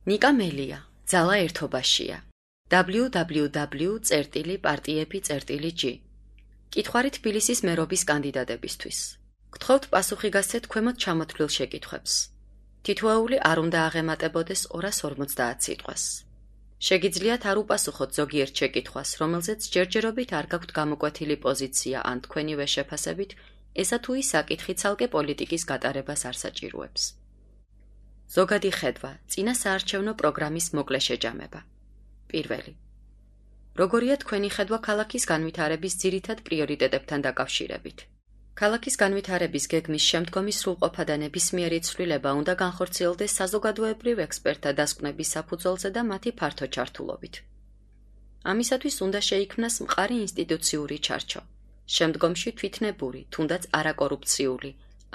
ნიკა მელია, ძალა ერთობაშია. www.partiep.g კითხვარი თბილისის მერობის კანდიდატებისთვის. გთხოვთ პასუხი გასცეთ ქვემოთ ჩამოთვლილ შეკითხვებს. თითოეული არ უნდა აღემატებოდეს 250 სიტყვას. შეგიძლიათ არ უპასუხოთ ზოგიერთ შეკითხვას, რომელზეც ჯერჯერობით არ გაქვთ გამოკვეთილი პოზიცია ან თქვენივე შეფასებით, ესა თუ ის საკითხი ცალკე პოლიტიკის გატარებას არ საჭიროებს. ზოგადი ხედვა, წინა საარჩევნო პროგრამის მოკლე შეჯამება. პირველი. როგორია თქვენი ხედვა ქალაქის განვითარების ძირითად პრიორიტეტებთან დაკავშირებით? ქალაქის განვითარების გეგმის შემდგომი სრულყოფა და ნებისმიერი ცვლილება უნდა განხორციელდეს საზოგადოებრივ ექსპერტთა დასკვნების საფუძველზე და მათი ფართო ჩართულობით. ამისათვის უნდა შეიქმნას მყარი ინსტიტუციური ჩარჩო, შემდგომში თვითნებური, თუნდაც არაკორუფციული,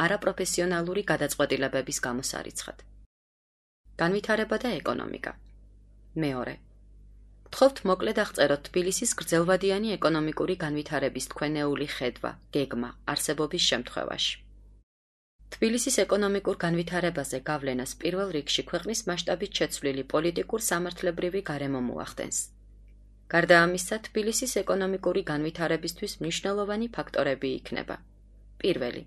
არაპროფესიონალური გადაწყვეტილებების გამოსარიცხად. განვითარება და ეკონომიკა. მეორე. გთხოვთ მოკლედ აღწეროთ თბილისის გრძელვადიანი ეკონომიკური განვითარების თქვენეული ხედვა, გეგმა, არსებობის შემთხვევაში. თბილისის ეკონომიკურ განვითარებაზე გავლენას პირველ რიგში ქვეყნის მასშტაბით შეცვლილი პოლიტიკურ-სამართლებრივი გარემო მოახდენს. გარდა ამისა, თბილისის ეკონომიკური განვითარებისთვის მნიშვნელოვანი ფაქტორები იქნება. პირველი.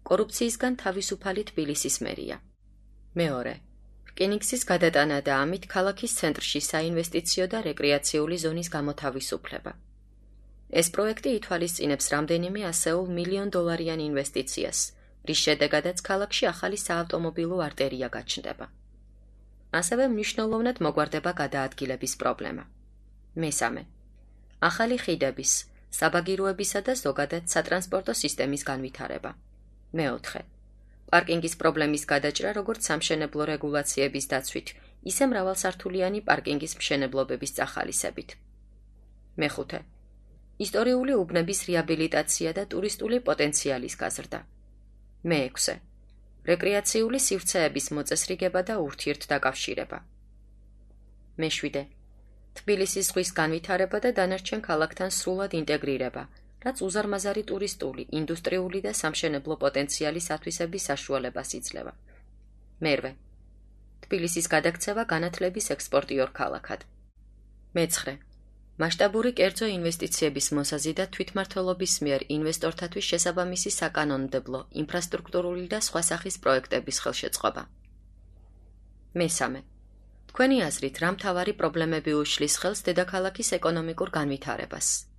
კორუფციისგან თავისუფალი თბილისის მერია. მეორე. რკინიგზის გადატანა და ამით ქალაქის ცენტრში საინვესტიციო და რეკრეაციული ზონის გამოთავისუფლება. ეს პროექტი ითვალისწინებს რამდენიმე ასეულ $1,000,000 ინვესტიციას, რის შედეგადაც ქალაქში ახალი საავტომობილო არტერია გაჩნდება. ასევე მნიშვნელოვნად მოგვარდება გადაადგილების პრობლემა. მესამე. ახალი ხიდების, საბაგიროებისა და ზოგადად სატრანსპორტო სისტემის განვითარება. მეოთხე. პარკინგის პრობლემის გადაჭრა როგორც სამშენებლო რეგულაციების დაცვით, ისე მრავალსართულიანი პარკინგის მშენებლობების წახალისებით. მეხუთე. ისტორიული უბნების რეაბილიტაცია და ტურისტული პოტენციალის გაზრდა. მეექვსე. რეკრეაციული სივრცეების მოწესრიგება და ურთიერთდაკავშირება. მეშვიდე. თბილისის ზღვის განვითარება და დანარჩენ ქალაქთან სრულად ინტეგრირება, რაც უზარმაზარი ტურისტული, ინდუსტრიული და სამშენებლო პოტენციალის ათვისების საშუალებას იძლევა. მერვე. თბილისის გადაქცევა განათლების ექსპორტიორ ქალაქად. მეცხრე. მასშტაბური კერძო ინვესტიციების მოსაზიდად თვითმმართველობის მიერ ინვესტორთათვის შესაბამისი საკანონმდებლო, ინფრასტრუქტურული და სხვა სახის პროექტების ხელშეწყობა. მესამე. თქვენი აზრით, რა მთავარი პრობლემები უშლის ხელს დედაქალაქის ეკონომიკურ განვითარებას?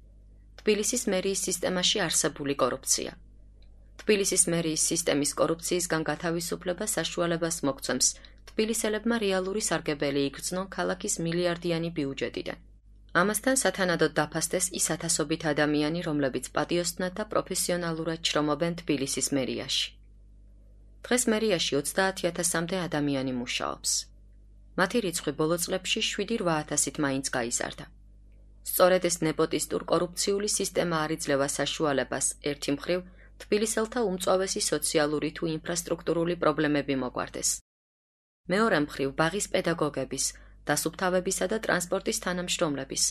თბილისის მერიის სისტემაში არსებული კორუფცია. თბილისის მერიის სისტემის კორუფციისგან გათავისუფლება საშუალებას მოგცემს თბილისელებმა რეალური სარგებელი იგრძნონ ქალაქის მილიარდიანი ბიუჯეტიდან. ამასთან სათანადოდ დაფასდეს ის ათასობით ადამიანი, რომლებიც პატიოსნად და პროფესიონალურად შრომობენ თბილისის მერიაში. დღეს მერიაში 30,000-მდე ადამიანი მუშაობს. მათი რიცხვი ბოლო წლებში 7-8,000-ით მაინც გაიზარდა. სწორედ ეს ნეპოტისტურ კორუფციული სისტემა არ იძლევა საშუალებას ერთი მხრივ თბილისელთა უმწვავესი სოციალური თუ ინფრასტრუქტურული პრობლემები მოგვარდეს. მეორე მხრივ ბაღის პედაგოგების, დასუფთავებისა და ტრანსპორტის თანამშრომლების,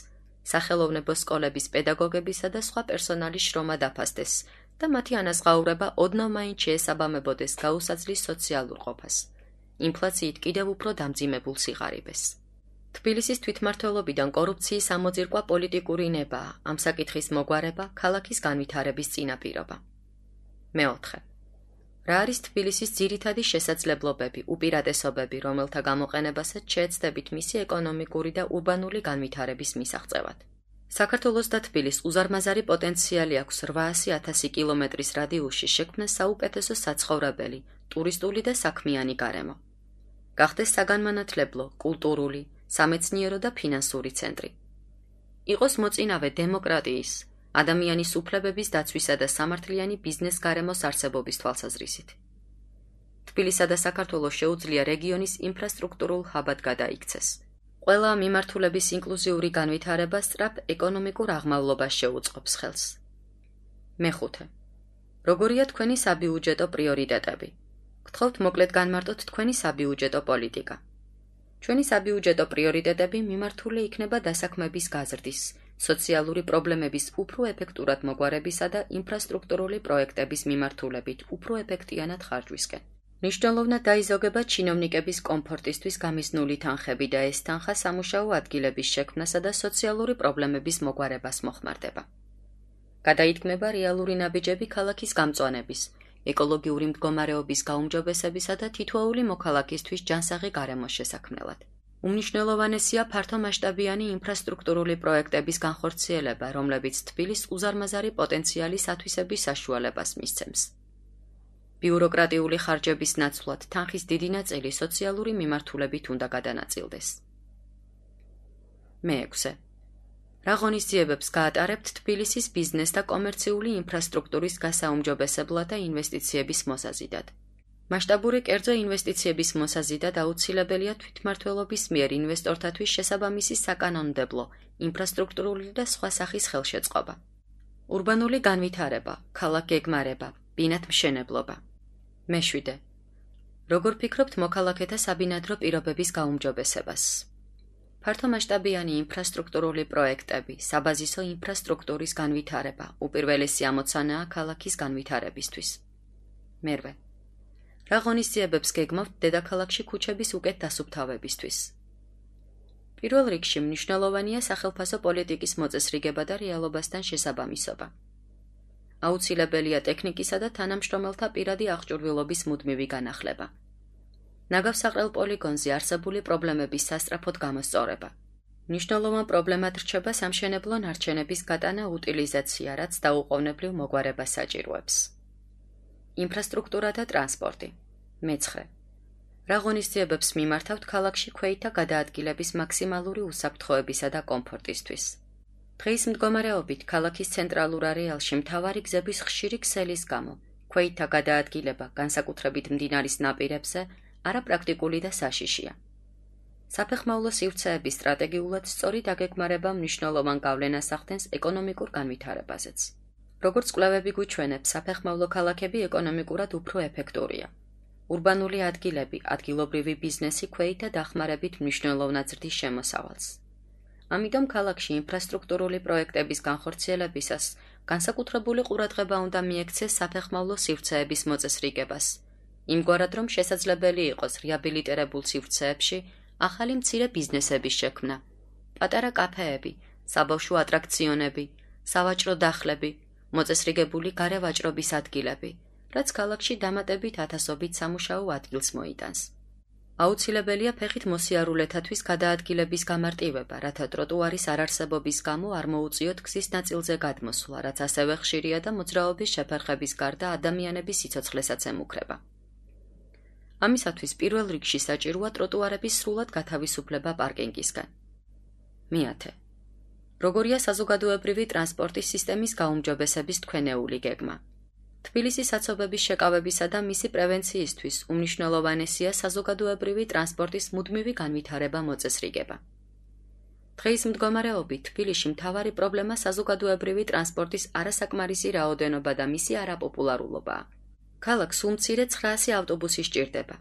სახელოვნებო სკოლების პედაგოგებისა და სხვა პერსონალის შრომა დაფასდეს და მათი ანაზღაურება ოდნავ მაინც შეესაბამებოდეს გაუსაძლის სოციალურ ყოფას, ინფლაციით კიდევ უფრო დამძიმებულ სიღარიბეს. თბილისის თვითმმართველობიდან კორუფციის ამოძირკვა პოლიტიკური ნებაა, ამ საკითხის მოგვარება ქალაქის განვითარების წინაპირობა. მეოთხე. რა არის თბილისის ძირითადი შესაძლებლობები, უპირატესობები, რომელთა გამოყენებასაც შეეცდებით მისი ეკონომიკური და ურბანული განვითარების მისაღწევად? საქართველოს და თბილის უზარმაზარი პოტენციალი აქვს 800,000 კილომეტრის რადიუსში შექმნას საუკეთესო საცხოვრებელი, ტურისტული და საქმიანი გარემო. გახდეს საგანმანათლებლო, კულტურული, სამეცნიერო და ფინანსური ცენტრი. იყოს მოწინავე დემოკრატიის, ადამიანის უფლებების დაცვისა და სამართლიანი ბიზნეს გარემოს არსებობის თვალსაზრისით. თბილისსა და საქართველოს შეუძლია რეგიონის ინფრასტრუქტურულ ჰაბად გადაიქცეს. ყველა მიმართულების ინკლუზიური განვითარება სწრაფ ეკონომიკურ აღმავლობას შეუწყობს ხელს. მეხუთე. როგორია თქვენი საბიუჯეტო პრიორიტეტები? გთხოვთ მოკლედ განმარტოთ თქვენი საბიუჯეტო პოლიტიკა. ჩვენი საბიუჯეტო პრიორიტეტები მიმართული იქნება დასაქმების გაზრდის, სოციალური პრობლემების უფრო ეფექტურად მოგვარებისა და ინფრასტრუქტურული პროექტების მიმართულებით უფრო ეფექტიანად ხარჯვისკენ. მნიშვნელოვნად დაიზოგება ჩინოვნიკების კომფორტისთვის გამიზნული თანხები და ეს თანხა სამუშაო ადგილების შექმნასა და სოციალური პრობლემების მოგვარებას მოხმარდება. გადაითქმება რეალური ნაბიჯები ქალაქის გამწვანების, ეკოლოგიური მდგომარეობის გაუმჯობესებისა და თითოეული მოქალაქისთვის ჯანსაღი გარემოს შესაქმნელად. უმნიშვნელოვანესია ფართომასშტაბიანი ინფრასტრუქტურული პროექტების განხორციელება, რომლებიც თბილის უზარმაზარი პოტენციალის ათვისების საშუალებას მისცემს. ბიუროკრატიული ხარჯების ნაცვლად თანხის დიდი ნაწილი სოციალური მიმართულებით უნდა გადანაწილდეს. მეექვსე. რა ღონისძიებებს გაატარებთ თბილისის ბიზნეს და კომერციული ინფრასტრუქტურის გასაუმჯობესებლად და ინვესტიციების მოსაზიდად? მასშტაბური კერძო ინვესტიციების მოსაზიდად აუცილებელია თვითმმართველობის მიერ ინვესტორთათვის შესაბამისი საკანონმდებლო, ინფრასტრუქტურული და სხვა სახის ხელშეწყობა. ურბანული განვითარება, ქალაქ გეგმარება, ბინათმშენებლობა. მეშვიდე. როგორ ფიქრობთ მოქალაქეთა საბინადრო პირობების გაუმჯობესებას? ფართომასშტაბიანი ინფრასტრუქტურული პროექტები, საბაზისო ინფრასტრუქტურის განვითარება, უპირველესი ამოცანაა ქალაქის განვითარებისთვის. მერვე. რა ღონისძიებებს გეგმავთ დედაქალაქში ქუჩების უკეთ დასუფთავებისთვის? პირველ რიგში მნიშვნელოვანია სახელმწიფო პოლიტიკის მოწესრიგება და რეალობასთან შესაბამისობა. აუცილებელია ტექნიკისა და თანამშრომელთა პირადი აღჭურვილობის მუდმივი განახლება. ნაგავსაყრელ პოლიგონზე არსებული პრობლემების სასწრაფოდ გამოსწორება. მნიშვნელოვან პრობლემად რჩება სამშენებლო ნარჩენების გატანა უტილიზაცია, რაც დაუყოვნებლივ მოგვარებას საჭიროებს. ინფრასტრუქტურა და ტრანსპორტი. მეცხრე. რა ღონისძიებებს მიმართავთ ქალაქში ქვეითთა გადაადგილების მაქსიმალური უსაფრთხოებისა და კომფორტისთვის? დღის მდგომარეობით ქალაქის ცენტრალურ არეალში მთავარი გზების ხშირი ქსელის გამო ქვეითთა გადაადგილება, განსაკუთრებით მდინარის ნაპირებზე, არაპრაქტიკული და საშიშია. საფეხმავლო სივრცეების სტრატეგიულად სწორი დაგეგმარება მნიშვნელოვან გავლენას ახდენს ეკონომიკურ განვითარებაზეც. როგორც კვლევები გვიჩვენებს, საფეხმავლო ქალაქები ეკონომიკურად უფრო ეფექტურია. ურბანული ადგილები, ადგილობრივი ბიზნესი ქვეითთა დახმარებით მნიშვნელოვნად ზრდის შემოსავალს. ამიტომ ქალაქში ინფრასტრუქტურული პროექტების განხორციელებისას განსაკუთრებული ყურადღება უნდა მიექცეს საფეხმავლო სივრცეების მოწესრიგებას, იმგვარად რომ შესაძლებელი იყოს რეაბილიტირებულ სივრცეებში ახალი მცირე ბიზნესების შექმნა, პატარა კაფეები, საბავშვო ატრაქციონები, სავაჭრო დახლები, მოწესრიგებული გარევაჭრობის ადგილები, რაც ქალაქში დამატებით ათასობით სამუშაო ადგილს მოიტანს. აუცილებელია ფეხით მოსიარულეთათვის გადაადგილების გამარტივება, რათა ტროტუარის არარსებობის გამო არ მოუწიოთ გზის ნაწილზე გადმოსვლა, რაც ასევე ხშირია და მოძრაობის შეფერხების გარდა ადამიანების სიცოცხლესაც ემუქრება. ამისათვის პირველ რიგში საჭიროა ტროტუარების სრულად გათავისუფლება პარკინგისგან. მეათე. როგორია საზოგადოებრივი ტრანსპორტის სისტემის გაუმჯობესების თქვენეული გეგმა? თბილისის საცობების შეკავებისა და მისი პრევენციისთვის უმნიშვნელოვანესია საზოგადოებრივი ტრანსპორტის მუდმივი განვითარება მოწესრიგება. დღის მდგომარეობით თბილისში მთავარი პრობლემა საზოგადოებრივი ტრანსპორტის არასაკმარისი რაოდენობა და მისი არაპოპულარულობაა. ქალაქს სულ მცირე 900 ავტობუსი სჭირდება.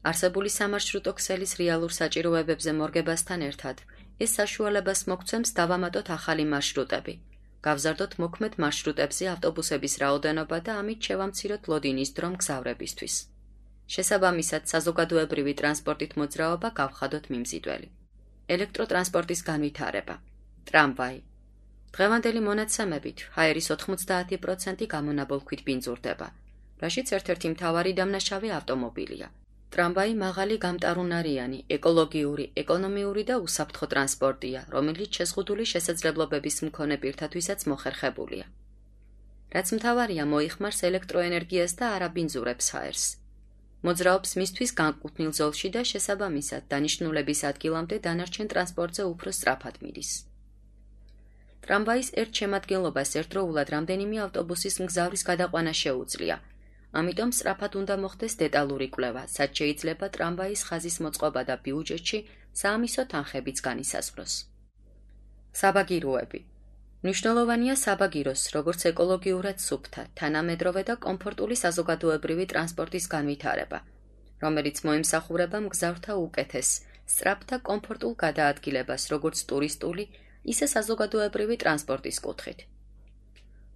არსებული სამარშრუტო ქსელის რეალურ საჭიროებებზე მორგებასთან ერთად ეს საშუალებას მოგცემს დავამატოთ ახალი მარშრუტები, გავზარდოთ მოქმედ მარშრუტებზე ავტობუსების რაოდენობა და ამით შევამციროთ ლოდინის დრო მგზავრებისთვის. შესაბამისად, საზოგადოებრივი ტრანსპორტით მოძრაობა გავხადოთ მიმზიდველი. ელექტროტრანსპორტის განვითარება. ტრამვაი. დღევანდელი მონაცემებით ჰაერის 90% გამონაბოლქვით ბინძურდება, რაშიც ერთ-ერთი მთავარი დამნაშავე ავტომობილია. ტრამვაი მაღალი გამტარუნარიანი, ეკოლოგიური, ეკონომიური და უსაფრთხო ტრანსპორტია, რომელიც შეზღუდული შესაძლებლობების მქონე პირთათვისაც მოხერხებულია. რაც მთავარია, მოიხმარს ელექტროენერგიას და არაბინძურებს ჰაერს. მოძრაობს მისთვის განკუთვნილ ზოლში და შესაბამისად დანიშნულების ადგილამდე დანარჩენ ტრანსპორტზე უფრო სწრაფად მიდის. ტრამვაის ერთ შემადგენლობას ერთდროულად რამდენიმე ავტობუსის მგზავრის გადაყვანა შეუძლია. ამიტომ სწრაფად უნდა მოხდეს დეტალური კვლევა, სადაც შეიძლება ტრამვაის ხაზის მოწყობა და ბიუჯეტში საამისო თანხებიც განისაზღვროს. საბაგიროები. მნიშვნელოვანია საბაგიროს, როგორც ეკოლოგიურად სუფთა, თანამედროვე და კომფორტული საზოგადოებრივი ტრანსპორტის განვითარება, რომელიც მოემსახურება მგზავრთა უკეთეს, სწრაფ და კომფორტულ გადაადგილებას, როგორც ტურისტული, ისე საზოგადოებრივი ტრანსპორტის კუთხით.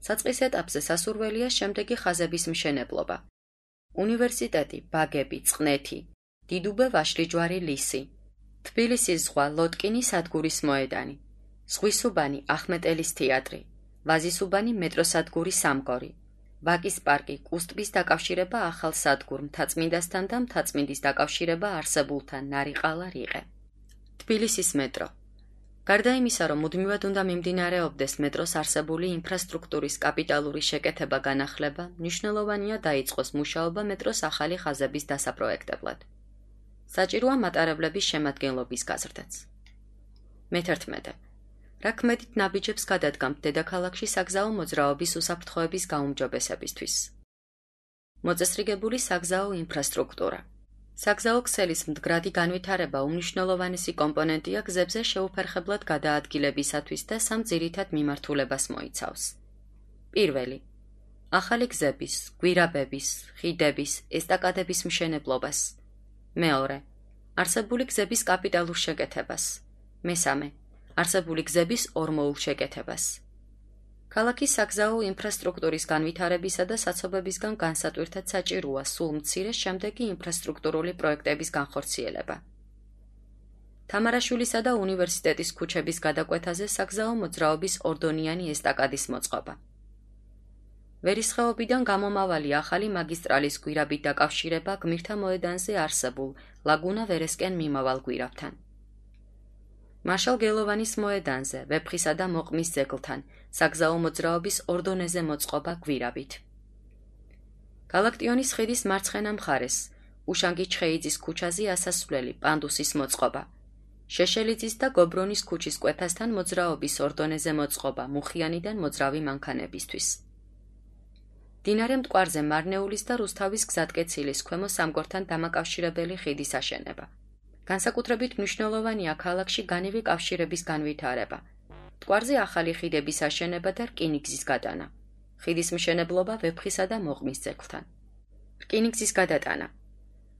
საწყის ეტაპზე სასურველია შემდეგი ხაზების მშენებლობა. უნივერსიტეტი, ბაგები, წყნეთი, დიდუბე ვაშლიჯვარი ლისი, თბილისის ზღვა, ლოტკინი სადგურის მოედანი, ზღვისუბანი, ახმეტელის თეატრი, ვაზისუბანი მეტროსადგური სამგორი, ვაკის პარკი, კუსტბის დაკავშირება ახალ სადგურ მთაწმინდასთან და მთაწმინდის დაკავშირება არსებულთან, ნარიყალა, რიყე. თბილისის მეტრო. გარდა იმისა, რომ მუდმივად უნდა მიმდინარეობდეს მეტროს არსებული ინფრასტრუქტურის კაპიტალური შეკეთება განახლება, მნიშვნელოვანია დაიწყოს მუშაობა მეტროს ახალი ხაზების დასაპროექტებლად. საჭიროა მატარებლების შემადგენლობის გაზრდაც. მე-11. რა ქმედით ნაბიჯებს გადადგამთ დედაქალაქში საგზაო მოძრაობის უსაფრთხოების გაუმჯობესებისთვის. მოწესრიგებული საგზაო ინფრასტრუქტურა. საგზაო ქსელის მდგრადი განვითარება უმნიშვნელოვანესი კომპონენტია გზებზე შეუფერხებლად გადაადგილებისათვის და სამ ძირითად მიმართულებას მოიცავს. პირველი. ახალი გზების, გვირაბების, ხიდების, ესტაკადების მშენებლობას. მეორე. არსებული გზების კაპიტალურ შეკეთებას. მესამე. არსებული გზების ორმოულ შეკეთებას. ქალაქის საგზაო ინფრასტრუქტურის განვითარებისა და საცობებისგან განსატვირთად საჭიროა სულ მცირე შემდეგი ინფრასტრუქტურული პროექტების განხორციელება. თამარაშვილისა და უნივერსიტეტის ქუჩების გადაკვეთაზე საგზაო მოძრაობის ორდონიანი ესტაკადის მოწყობა. ვერისხეობიდან გამომავალი ახალი მაგისტრალის გვირაბით დაკავშირება გმირთა მოედანზე არსებულ ლაგუნა ვერესკენ მიმავალ გვირაბთან. მარშალ გელოვანის მოედანზე, ვეფხისა და მოყმის ძეგლთან, საგზაო მოძრაობის ორდონეზე მოწყობა გვირაბით. გალაქტიონის ხიდის მარცხენა მხარეს, უშანგი ჩხეიძის ქუჩაზე ასასვლელი პანდუსის მოწყობა. შეშელიძის და გობრონის ქუჩის კვეთასთან მოძრაობის ორდონეზე მოწყობა მუხიანიდან მოძრავი მანქანებისთვის. მდინარე მტკვარზე მარნეულის და რუსთავის გზატკეცილის ქვემო სამგორთან დამაკავშირებელი ხიდის აშენება. განსაკუთრებით მნიშვნელოვანია ქალაქში განივი კავშირების განვითარება. მტკვარზე ახალი ხიდების აშენება და რკინიგზის გადანა. ხიდის მშენებლობა ვეფხისა და მოყმის ძეგლთან. რკინიგზის გადატანა.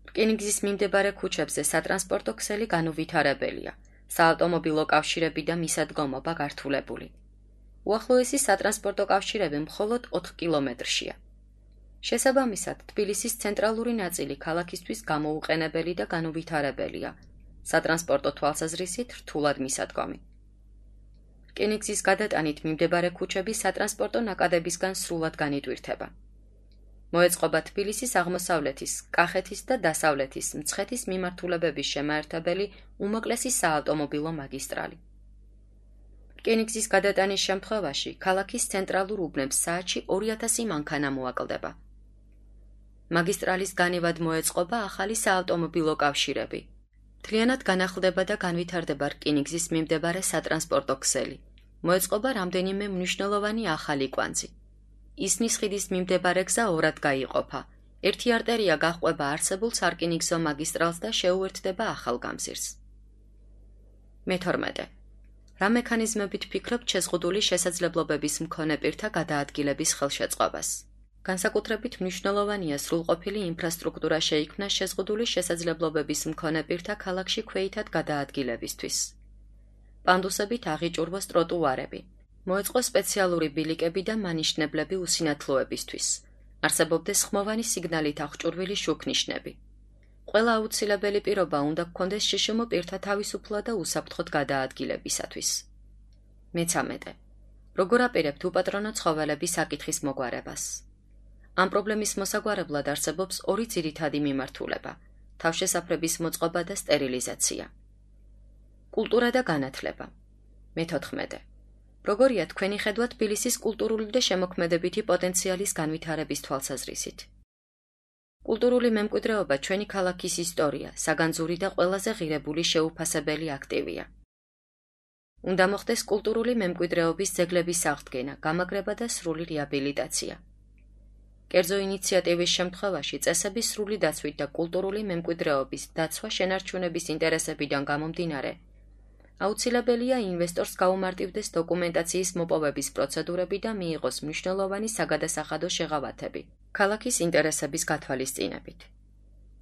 რკინიგზის მიმდებარე ქუჩებზე სატრანსპორტო ქსელი განუვითარებელია. საავტომობილო კავშირები და მისადგომობა გართულებული. უახლოესი სატრანსპორტო კავშირები მხოლოდ 4 კილომეტრშია. შესაბამისად, თბილისის ცენტრალური ნაწილი ქალაქისთვის გამოუყენებელი და განუვითარებელია. სატრანსპორტო თვალსაზრისით რთულად მისადგომი. რკინიგზის გადატანით მიმდებარე ქუჩები სატრანსპორტო ნაკადებისგან სრულად განიტვირთება. მოეწყობა თბილისის აღმოსავლეთის, კახეთის და დასავლეთის მცხეთის მიმართულებების შემაერთებელი უმოკლესი საავტომობილო მაგისტრალი. რკინიგზის გადატანის შემთხვევაში ქალაქის ცენტრალურ უბნებს საათში 2000 მანქანა მოაკლდება. მაგისტრალის განივად მოეწყობა ახალი საავტომობილო კავშირები. მთლიანად განახლდება და განვითარდება რკინიგზის მიმდებარე სატრანსპორტო ქსელი. მოეწყობა რამდენიმე მნიშვნელოვანი ახალი კვანძი. ისნის ხიდის მიმდებარე გზა ორად გაიყოფა. ერთი არტერია გაჰყვება არსებულ სარკინიგზო მაგისტრალს და შეუერთდება ახალ გამზირს. მე-12. რა მექანიზმებით ფიქრობთ შეზღუდული შესაძლებლობების მქონე პირთა გადაადგილების ხელშეწყობას? განსაკუთრებით მნიშვნელოვანია სრულყოფილი ინფრასტრუქტურა შეიქმნა შეზღუდული შესაძლებლობების მქონე პირთა ქალაქში ქვეითად გადაადგილებისთვის. პანდუსებით აღიჭურვოს ტროტუარები. მოეწყო სპეციალური ბილიკები და მანიშნებლები უსინათლოებისთვის. არსებობდეს ხმოვანი სიგნალით აღჭურვილი შუქნიშნები. ყველა აუცილებელი პირობა უნდა გქონდეს შშმ პირთა თავისუფლად და უსაფრთხოდ გადაადგილებისათვის. მე-13. როგორ აპირებთ უპატრონო ცხოველების საკითხის მოგვარებას? ამ პრობლემის მოსაგვარებლად არსებობს ორი ძირითადი მიმართულება: თავშესაფრების მოწყობა და სტერილიზაცია. კულტურა და განათლება. მე-14. როგორია თქვენი ხედვა თბილისის კულტურული და შემოქმედებითი პოტენციალის განვითარების თვალსაზრისით? კულტურული მემკვიდრეობა ჩვენი ქალაქის ისტორია, საგანძური და ყველაზე ღირებული შეუფასებელი აქტივია. უნდა მოხდეს კულტურული მემკვიდრეობის ძეგლების აღდგენა, გამაგრება და სრული რეაბილიტაცია. კერძო ინიციატივის შემთხვევაში წესების სრული დაცვით და კულტურული მემკვიდრეობის დაცვა შენარჩუნების ინტერესებიდან გამომდინარე, აუცილებელია ინვესტორს გაუმარტივდეს დოკუმენტაციის მოპოვების პროცედურები და მიიღოს მნიშვნელოვანი საგადასახადო შეღავათები ქალაქის ინტერესების გათვალისწინებით.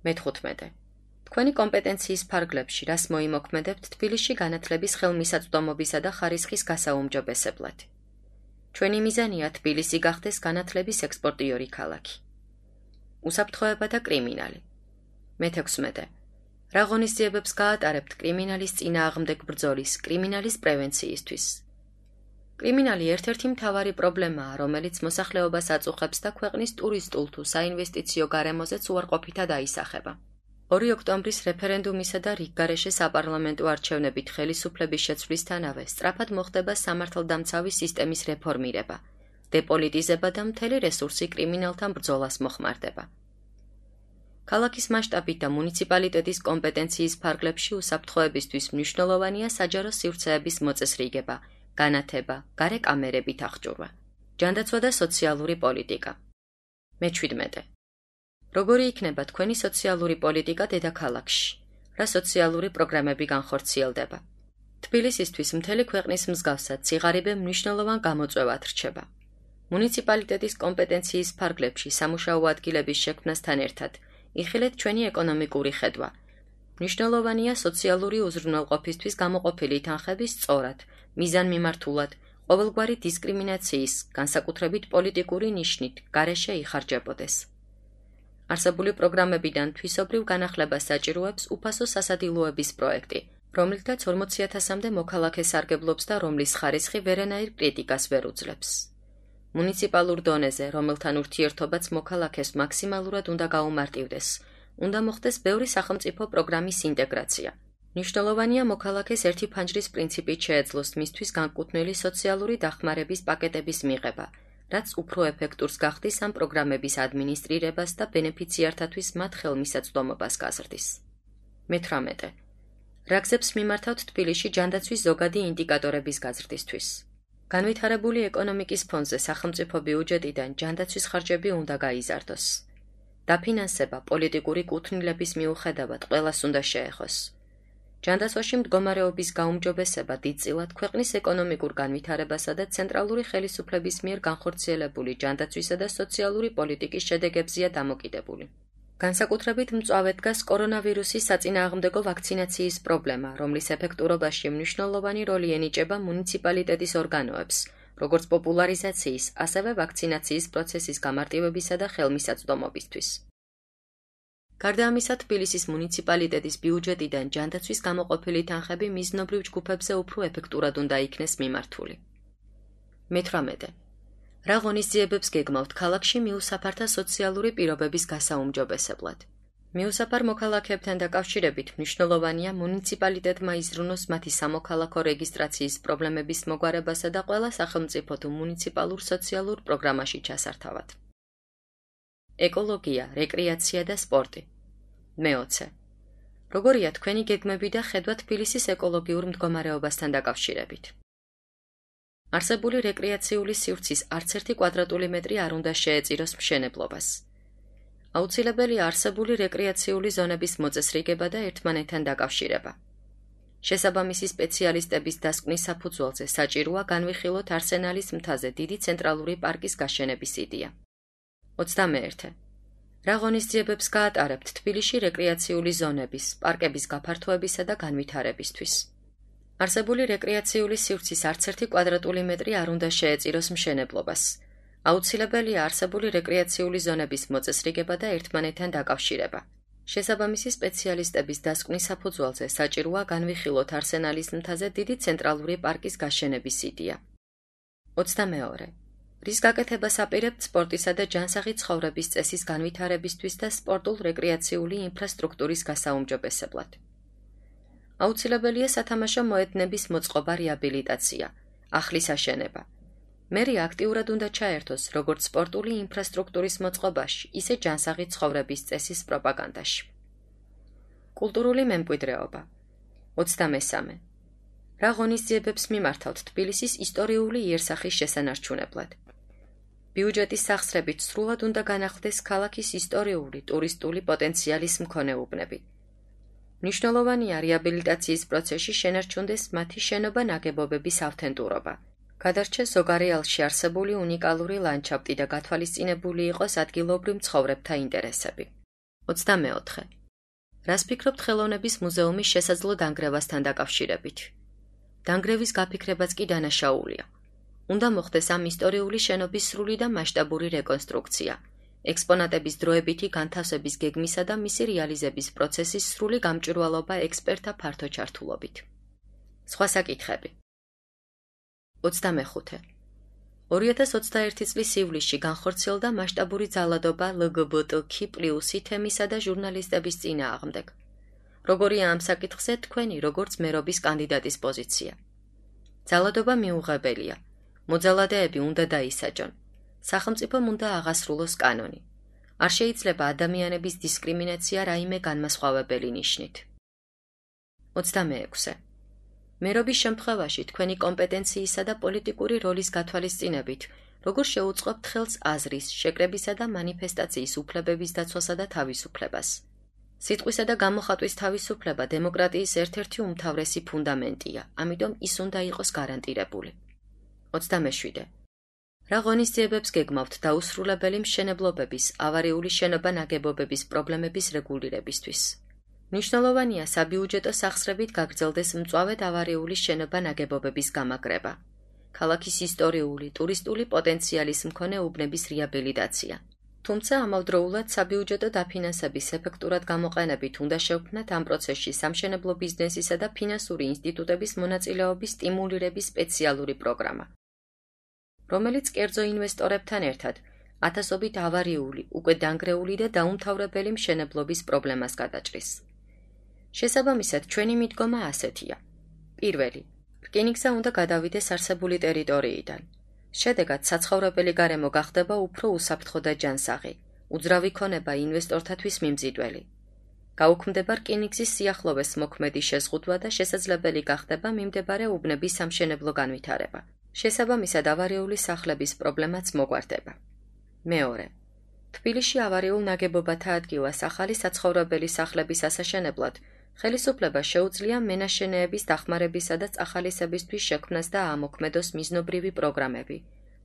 მე-15. თქვენი კომპეტენციის ფარგლებში რას მოიმოქმედებთ თბილისში განათლების ხელმისაწვდომობისა და ხარისხის გასაუმჯობესებლად? ჩვენი მიზანია თბილისი გახდეს განათლების ექსპორტიორი ქალაქი. უსაფრთხოება და კრიმინალი. მე-16. რა ღონისძიებებს გაატარებთ კრიმინალის წინააღმდეგ ბრძოლის, კრიმინალის პრევენციისთვის? კრიმინალი ერთ-ერთი მთავარი პრობლემაა, რომელიც მოსახლეობას აწუხებს და ქვეყნის ტურისტულ თუ საინვესტიციო გარემოზეც უარყოფითად აისახება. 2 ოქტომბრის რეფერენდუმისა და რიგგარეშე საპარლამენტო არჩევნებით ხელისუფლების შეცვლისთანავე სწრაფად მოხდება სამართალდამცავი სისტემის რეფორმირება, დეპოლიტიზება და მთელი რესურსი კრიმინალთან ბრძოლას მოხმარდება. ქალაქის მასშტაბით და მუნიციპალიტეტის კომპეტენციის ფარგლებში უსაფრთხოებისთვის მნიშვნელოვანია საჯარო სივრცეების მოწესრიგება, განათება, გარე კამერებით აღჭურვა, ჯანდაცვა და სოციალური პოლიტიკა. მე-17. როგორი იქნება თქვენი სოციალური პოლიტიკა დედაქალაქში? რა სოციალური პროგრამები განხორციელდება? თბილისისთვის მთელი ქვეყნის მსგავსად სიღარიბე მნიშვნელოვან გამოწვევად რჩება. მუნიციპალიტეტის კომპეტენციის ფარგლებში სამუშაო ადგილების შექმნასთან ერთად იხილეთ ჩვენი ეკონომიკური ხედვა. მნიშვნელოვანია სოციალური უზრუნველყოფისთვის გამოყოფილი თანხების სწორად, მიზანმიმართულად, ყოველგვარი დისკრიმინაციის, განსაკუთრებით პოლიტიკური ნიშნით, გარეშე იხარჯებოდეს. არსებული პროგრამებიდან თვისობრივ განახლებას საჭიროებს უფასო სასადილოების პროექტი, რომლითაც 40,000-მდე მოქალაქე სარგებლობს და რომლის ხარისხი ვერანაირ კრიტიკას ვერ უძლებს. მუნიციპალურ დონეზე, რომელთან ურთიერთობაც მოქალაქეს მაქსიმალურად უნდა გაუმარტივდეს, უნდა მოხდეს ბევრი სახელმწიფო პროგრამის ინტეგრაცია. მნიშვნელოვანია მოქალაქეს ერთი ფანჯრის პრინციპით შეეძლოს მისთვის განკუთვნილი სოციალური დახმარების პაკეტების მიღება, რაც უფრო ეფექტურს გახდის ამ პროგრამების ადმინისტრირებას და ბენეფიციართათვის მათ ხელმისაწვდომობას გაზრდის. მე-18. რა გზებს მიმართავთ თბილისში ჯანდაცვის ზოგადი ინდიკატორების გაზრდისთვის? განვითარებული ეკონომიკის ფონზე სახელმწიფო ბიუჯეტიდან ჯანდაცვის ხარჯები უნდა გაიზარდოს. დაფინანსება პოლიტიკური კუთვნილების მიუხედავად ყველას უნდა შეეხოს. ჯანდაცვაში მდგომარეობის გაუმჯობესება დიდწილად ქვეყნის ეკონომიკურ განვითარებასა და ცენტრალური ხელისუფლების მიერ განხორციელებული ჯანდაცვისა და სოციალური პოლიტიკის შედეგებზეა დამოკიდებული. განსაკუთრებით მწვავედ დგას კორონავირუსის საწინააღმდეგო ვაქცინაციის პრობლემა, რომლის ეფექტურობაში მნიშვნელოვანი როლი ენიჭება მუნიციპალიტეტის ორგანოებს, როგორც პოპულარიზაციის, ასევე ვაქცინაციის პროცესის გამარტივებისა და ხელმისაწვდომობისთვის. გარდა ამისა, თბილისის მუნიციპალიტეტის ბიუჯეტიდან ჯანდაცვის გამოყოფილი თანხები მიზნობრივ ჯგუფებზე უფრო ეფექტურად უნდა იქნეს მიმართული. მე-18. რა ღონისძიებებს გეგმავთ ქალაქში მიუსაფართა სოციალური პირობების გასაუმჯობესებლად? მიუსაფარ მოქალაქეებთან დაკავშირებით მნიშვნელოვანია მუნიციპალიტეტმა იზრუნოს მათი სამოქალაქო რეგისტრაციის პრობლემების მოგვარებასა და ყველა სახელმწიფო თუ მუნიციპალურ სოციალურ პროგრამაში ჩასართავად. ეკოლოგია, რეკრეაცია და სპორტი. მე-20. როგორია თქვენი გეგმები და ხედვა თბილისის ეკოლოგიურ მდგომარეობასთან დაკავშირებით? არსებული რეკრეაციული სივრცის არც ერთი კვადრატული მეტრი არ უნდა შეეწიროს მშენებლობას. აუცილებელია არსებული რეკრეაციული ზონების მოწესრიგება და ერთმანეთთან დაკავშირება. შესაბამისი სპეციალისტების დასკვნის საფუძველზე საჭიროა განვიხილოთ არსენალის მთაზე დიდი ცენტრალური პარკის გაშენების იდეა. 21. რა ღონისძიებებს გაატარებთ თბილისში რეკრეაციული ზონების, პარკების გაფართოებისა და განვითარებისთვის? არსებული რეკრეაციული სივრცის არც ერთი კვადრატული მეტრი არ უნდა შეეწიროს მშენებლობას. აუცილებელია არსებული რეკრეაციული ზონების მოწესრიგება და ერთმანეთთან დაკავშირება. შესაბამისი სპეციალისტების დასკვნის საფუძველზე საჭიროა განვიხილოთ არსენალის მთაზე დიდი ცენტრალური პარკის გაშენების იდეა. 22. რის გაკეთებას აპირებთ სპორტისა და ჯანსაღი ცხოვრების წესის განვითარებისთვის და სპორტულ-რეკრეაციული ინფრასტრუქტურის გასაუმჯობესებლად? აუცილებელია სათამაშო მოედნების მოწყობა, რეაბილიტაცია, ახლის აშენება. მერი აქტიურად უნდა ჩაერთოს როგორც სპორტული ინფრასტრუქტურის მოწყობაში, ისე ჯანსაღი ცხოვრების წესის პროპაგანდაში. კულტურული მემკვიდრეობა. 23. რა ღონისძიებებს მიმართავთ თბილისის ისტორიული იერსახის შესანარჩუნებლად? ბიუჯეტის სახსრებით სრულად უნდა განახლდეს ქალაქის ისტორიული, ტურისტული პოტენციალის მქონე უბნები. მნიშვნელოვანია რეაბილიტაციის პროცესში შენარჩუნდეს მათი შენობა-ნაგებობების ავთენტურობა. გადარჩეს ზოგარეალში არსებული უნიკალური ლანდშაფტი და გათვალისწინებული იყოს ადგილობრივ მცხოვრებთა ინტერესები. 24. რას ფიქრობთ ხელოვნების მუზეუმის შესაძლო დანგრევასთან დაკავშირებით? დანგრევის გაფიქრებაც კი დანაშაულია. უნდა მოხდეს ამ ისტორიული შენობის სრული და მასშტაბური რეკონსტრუქცია. ექსპონატების დროებითი განთავსების გეგმისა და მისი რეალიზების პროცესის სრული გამჭვირვალობა ექსპერტთა ფართო ჩართულობით. სხვა საკითხები. 25. 2021 წლის ივლისში განხორციელდა მასშტაბური ძალადობა LGBTQ+ თემისა და ჟურნალისტების წინააღმდეგ. როგორია ამ საკითხზე თქვენი როგორც მერობის კანდიდატის პოზიცია? ძალადობა მიუღებელია. მოძალადეები უნდა დაისაჯონ. სახელმწიფომ უნდა აღასრულოს კანონი. არ შეიძლება ადამიანების დისკრიმინაცია რაიმე განმასხვავებელი ნიშნით. 26. მერობის შემთხვევაში თქვენი კომპეტენციისა და პოლიტიკური როლის გათვალისწინებით, როგორ შეუწყობთ ხელს აზრის, შეკრებისა და მანიფესტაციის უფლებების დაცვასა და თავისუფლებას. სიტყვისა და გამოხატვის თავისუფლება დემოკრატიის ერთ-ერთი უმთავრესი ფუნდამენტია, ამიტომ ის უნდა იყოს გარანტირებული. 27. რა ღონისძიებებს გეგმავთ დაუსრულებელი მშენებლობების, ავარიული შენობა-ნაგებობების პრობლემების რეგულირებისთვის? მნიშვნელოვანია საბიუჯეტო სახსრებით გაგრძელდეს მწვავედ ავარიული შენობა-ნაგებობების გამაგრება, ქალაქის ისტორიული, ტურისტული პოტენციალის მქონე უბნების რეაბილიტაცია. თუმცა ამავდროულად საბიუჯეტო დაფინანსების ეფექტურად გამოყენებით უნდა შევქმნათ ამ პროცესში სამშენებლო ბიზნესისა და ფინანსური ინსტიტუტების მონაწილეობის სტიმულირების სპეციალური პროგრამა, რომელიც კერძო ინვესტორებთან ერთად ათასობით ავარიული, უკვე დანგრეული და დაუმთავრებელი მშენებლობის პრობლემას გადაჭრის. შესაბამისად, ჩვენი მიდგომა ასეთია. პირველი, რკინიგზა უნდა გადავიდეს არსებული ტერიტორიიდან. შედეგად, საცხოვრებელი გარემო გახდება უფრო უსაფრთხო და ჯანსაღი, უძრავი ქონება ინვესტორთათვის მიმზიდველი. გაუქმდება რკინიგზის სიახლოვეს მოქმედი შეზღუდვა და შესაძლებელი გახდება მიმდებარე უბნების სამშენებლო განვითარება. შესაბამისად, ავარიული სახლების პრობლემაც მოგვარდება. მეორე, თბილისში ავარიულ ნაგებობათა ადგილას ახალი საცხოვრებელი სახლების ასაშენებლად ხელისუფლება შეუძლია მენაშენეების დახმარებისა და წახალისებისთვის შექმნას და ამოქმედოს მიზნობრივი პროგრამები,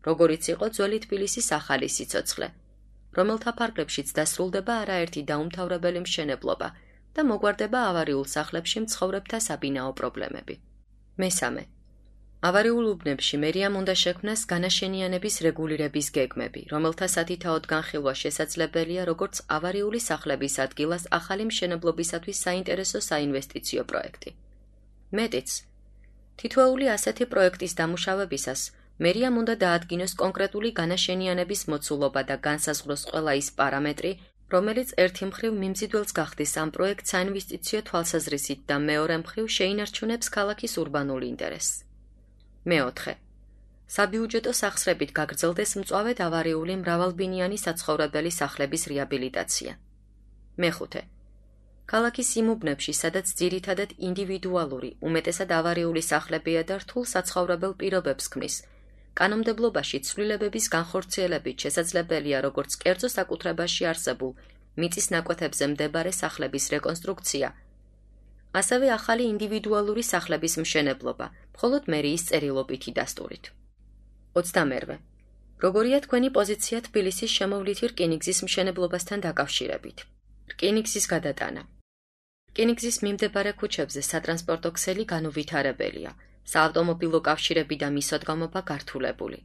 როგორიც იყო ძველი თბილისის ახალი სიცოცხლე, რომელთა ფარგლებშიც დასრულდება არაერთი დაუმთავრებელი მშენებლობა და მოგვარდება ავარიულ სახლებში მცხოვრებთა საბინაო პრობლემები. მესამე, ავარიულ უბნებში მერიამ უნდა შექმნას განაშენიანების რეგულირების გეგმები, რომელთა სათითაოდ განხილვა შესაძლებელია როგორც ავარიული სახლების ადგილას ახალი მშენებლობისათვის საინტერესო საინვესტიციო პროექტი. მეტიც, თითოეული ასეთი პროექტის დამუშავებისას მერიამ უნდა დაადგინოს კონკრეტული განაშენიანების მოცულობა და განსაზღვროს ყველა ის პარამეტრი, რომელიც ერთი მხრივ მიმზიდველს გახდის ამ პროექტ საინვესტიციო თვალსაზრისით და მეორე მხრივ შეინარჩუნებს ქალაქის ურბანულ ინტერესს. მეოთხე, საბიუჯეტო სახსრებით გაგრძელდეს მწვავედ ავარიული მრავალბინიანი საცხოვრებელი სახლების რეაბილიტაცია. მეხუთე, ქალაქის იმ უბნებში, სადაც ძირითადად ინდივიდუალური, უმეტესად ავარიული სახლებია და რთულ საცხოვრებელ პირობებს ქმნის, კანონმდებლობაში ცვლილებების განხორციელებით შესაძლებელია როგორც კერძო საკუთრებაში არსებულ მიწის ნაკვეთებზე მდებარე სახლების რეკონსტრუქცია, ასევე ახალი ინდივიდუალური სახლების მშენებლობა, მხოლოდ მერიის წერილობითი დასტურით. 22. როგორია თქვენი პოზიცია თბილისის შემოვლითი რკინიგზის მშენებლობასთან დაკავშირებით? რკინიგზის გადატანა. რკინიგზის მიმდებარე ქუჩებზე სატრანსპორტო ქსელი განუვითარებელია, საავტომობილო კავშირები და მისადგომობა გართულებული.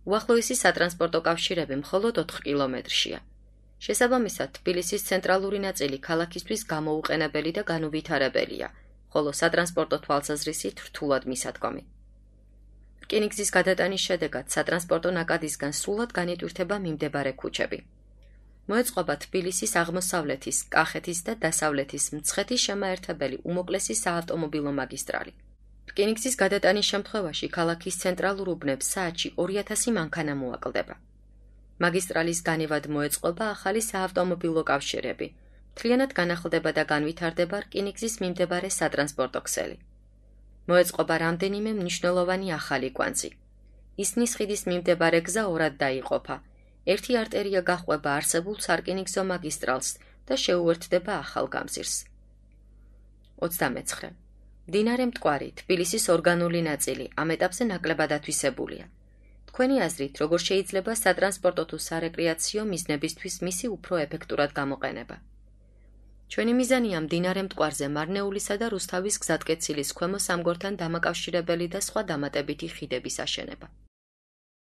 უახლოესი სატრანსპორტო კავშირები მხოლოდ 4 კილომეტრშია. შესაბამისად, თბილისის ცენტრალური ნაწილი ქალაქისთვის გამოუყენებელი და განუვითარებელია, ხოლო სატრანსპორტო თვალსაზრისით რთულად მისადგომი. რკინიგზის გადატანის შედეგად სატრანსპორტო ნაკადისგან სრულად განიტვირთება მიმდებარე ქუჩები. მოეწყობა თბილისის აღმოსავლეთის, კახეთის და დასავლეთის მცხეთის შემაერთებელი უმოკლესი საავტომობილო მაგისტრალი. რკინიგზის გადატანის შემთხვევაში ქალაქის ცენტრალურ უბნებს საათში 2000 მანქანა მოაკლდება. მაგისტრალის განივად მოეწყობა ახალი საავტომობილო კავშირები, მთლიანად განახლდება და განვითარდება რკინიგზის მიმდებარე სატრანსპორტო ქსელი. მოეწყობა რამდენიმე მნიშვნელოვანი ახალი კვანძი. ისნის ხიდის მიმდებარე გზა ორად დაიყოფა. ერთი არტერია გაჰყვება არსებულ სარკინიგზო მაგისტრალს და შეუერთდება ახალ გამზირს. 29. მდინარე მტკვარი, თბილისის ორგანული ნაწილი, ამ ეტაპზე ნაკლებად ათვისებულია. თქვენი აზრით, როგორ შეიძლება სატრანსპორტო თუ სარეკრეაციო მიზნებისთვის მისი უფრო ეფექტურად გამოყენება? ჩვენი მიზანია მდინარე მტკვარზე მარნეულისა და რუსთავის გზატკეცილის ქვემო სამგორთან დამაკავშირებელი და სხვა დამატებითი ხიდების აშენება.